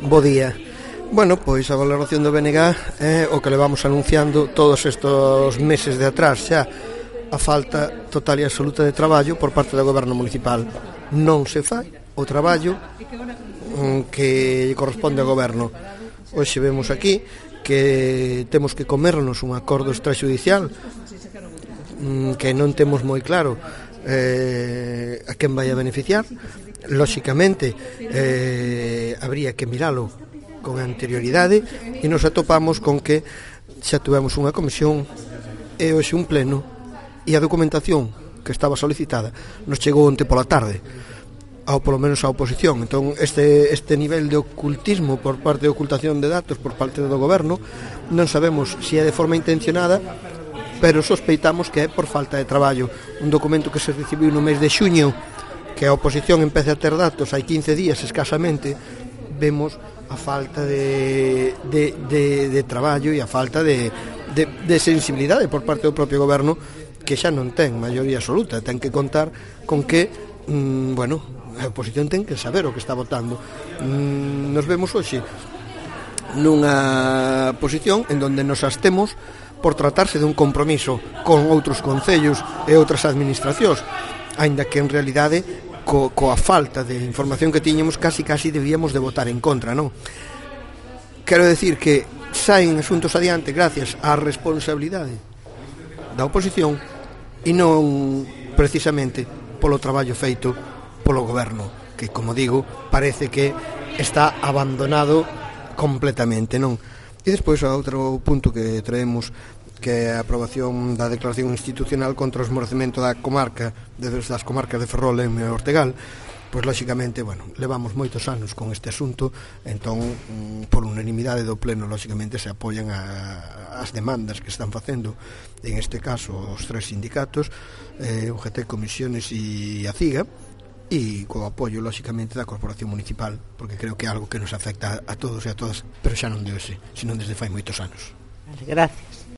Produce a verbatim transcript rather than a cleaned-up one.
Bo día. Bueno, pois a valoración do B N G é o que levamos anunciando todos estes meses de atrás xa, a falta total e absoluta de traballo por parte do goberno municipal. Non se fai o traballo que corresponde ao goberno. Hoxe vemos aquí que temos que comernos un acordo extrajudicial que non temos moi claro eh, a quen vai a beneficiar. Lóxicamente eh, habría que miralo con anterioridade e nos atopamos con que xa tuvemos unha comisión e hoxe un pleno e a documentación que estaba solicitada nos chegou onte pola tarde ao polo menos a oposición. Entón este, este nivel de ocultismo por parte de ocultación de datos por parte do goberno non sabemos se é de forma intencionada, pero sospeitamos que é por falta de traballo. Un documento que se recibiu no mes de xuño, que a oposición empece a ter datos hai quince días escasamente, vemos a falta de, de, de, de traballo e a falta de, de, de sensibilidade por parte do propio goberno, que xa non ten maioría absoluta, ten que contar con que mmm, bueno, a oposición ten que saber o que está votando. Mmm, nos vemos hoxe nunha posición en donde nos abstemos por tratarse de un compromiso con outros concellos e outras administracións, aínda que en realidade co, coa falta de información que tiñamos casi casi debíamos de votar en contra, non? Quero decir que saen asuntos adiante gracias á responsabilidade da oposición e non precisamente polo traballo feito polo goberno, que, como digo, parece que está abandonado completamente, non? E despois outro punto que traemos, que é a aprobación da declaración institucional contra o esmorecemento da comarca, desde as comarcas de Ferrol e Ortegal. Pois, lóxicamente, bueno, levamos moitos anos con este asunto, entón, por unanimidade do pleno, lóxicamente, se apoian a, as demandas que están facendo, en este caso, os tres sindicatos, eh, U G T, Comisiones e a CIGA, e co apoio, lóxicamente, da Corporación Municipal, porque creo que é algo que nos afecta a todos e a todas, pero xa non de hoxe, sino desde fai moitos anos. Vale, gracias.